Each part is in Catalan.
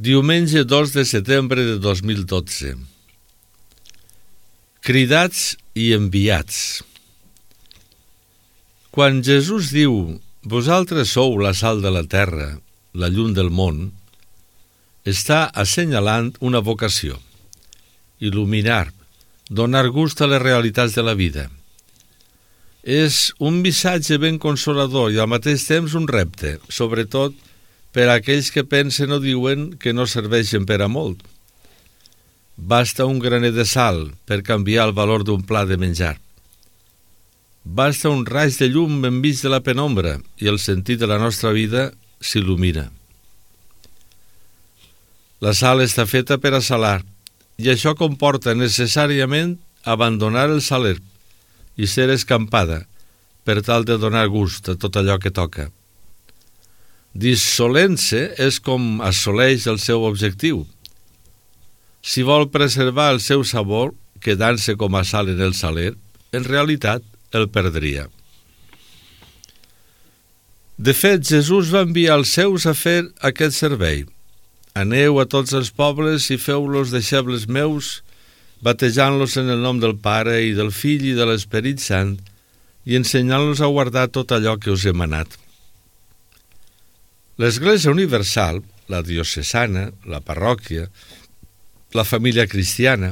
Diumenge 2 de setembre de 2012. Cridats i enviats. Quan Jesús diu «Vosaltres sou la sal de la terra, la llum del món», està assenyalant una vocació: il·luminar, donar gust a les realitats de la vida. És un missatge ben consolador i al mateix temps un repte, sobretot per a aquells que pensen o diuen que no serveixen per a molt. Basta un graner de sal per canviar el valor d'un plat de menjar. Basta un raig de llum enmig de la penombra i el sentit de la nostra vida s'il·lumina. La sal està feta per a salar i això comporta necessàriament abandonar el saler i ser escampada per tal de donar gust a tot allò que toca. Dissolent-se és com assoleix el seu objectiu. Si vol preservar el seu sabor, quedant-se com a sal en el saler, en realitat el perdria. De fet, Jesús va enviar els seus a fer aquest servei. Aneu a tots els pobles i feu-los deixebles meus, batejant-los en el nom del Pare i del Fill i de l'Esperit Sant i ensenyant-los a guardar tot allò que us he manat. L'Església Universal, la diocesana, la parròquia, la família cristiana,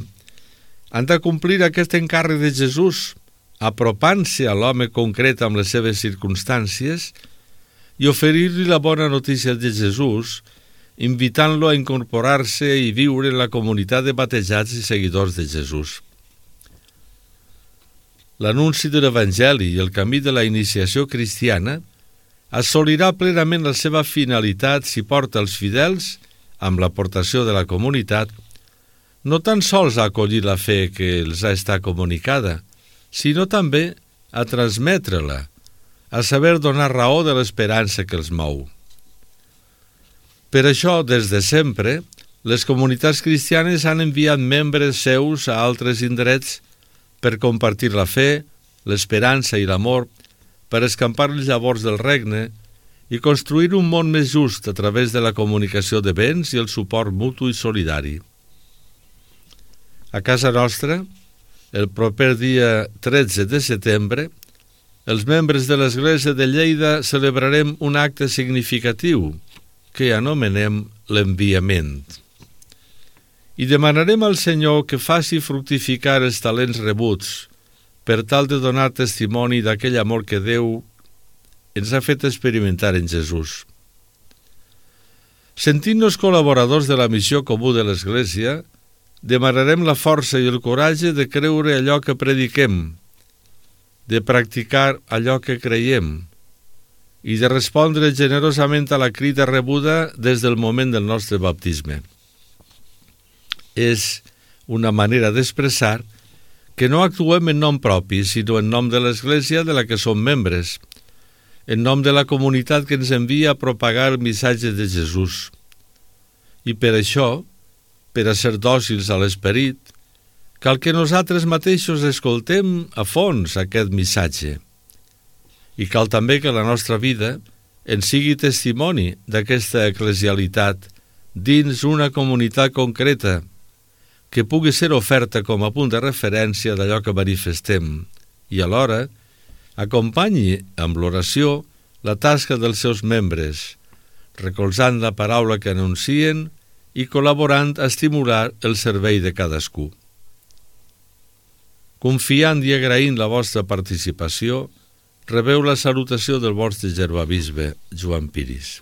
han de complir aquest encàrrec de Jesús, apropant-se a l'home concret amb les seves circumstàncies i oferir-li la bona notícia de Jesús, invitant-lo a incorporar-se i viure en la comunitat de batejats i seguidors de Jesús. L'anunci de l'Evangeli i el camí de la iniciació cristiana assolirà plenament la seva finalitat si porta els fidels, amb l'aportació de la comunitat, no tan sols a acollir la fe que els ha estat comunicada, sinó també a transmetre-la, a saber donar raó de l'esperança que els mou. Per això, des de sempre, les comunitats cristianes han enviat membres seus a altres indrets per compartir la fe, l'esperança i l'amor, per escampar les llavors del regne i construir un món més just a través de la comunicació de béns i el suport mutu i solidari. A casa nostra, el proper dia 13 de setembre, els membres de l'Església de Lleida celebrarem un acte significatiu que anomenem l'enviament. I demanarem al Senyor que faci fructificar els talents rebuts per tal de donar testimoni d'aquell amor que Déu ens ha fet experimentar en Jesús. Sentint-nos col·laboradors de la missió comú de l'Església, demanarem la força i el coratge de creure allò que prediquem, de practicar allò que creiem i de respondre generosament a la crida rebuda des del moment del nostre baptisme. És una manera d'expressar que no actuem en nom propi, sinó en nom de l'Església de la que som membres, en nom de la comunitat que ens envia a propagar el missatge de Jesús. I per això, per a ser dòcils a l'esperit, cal que nosaltres mateixos escoltem a fons aquest missatge. I cal també que la nostra vida en sigui testimoni d'aquesta eclesialitat dins una comunitat concreta, que pugui ser oferta com a punt de referència d'allò que manifestem i alhora acompanyi amb l'oració la tasca dels seus membres, recolzant la paraula que anuncien i col·laborant a estimular el servei de cadascú. Confiant i agraint la vostra participació, rebeu la salutació del vostre germà bisbe, Joan Piris.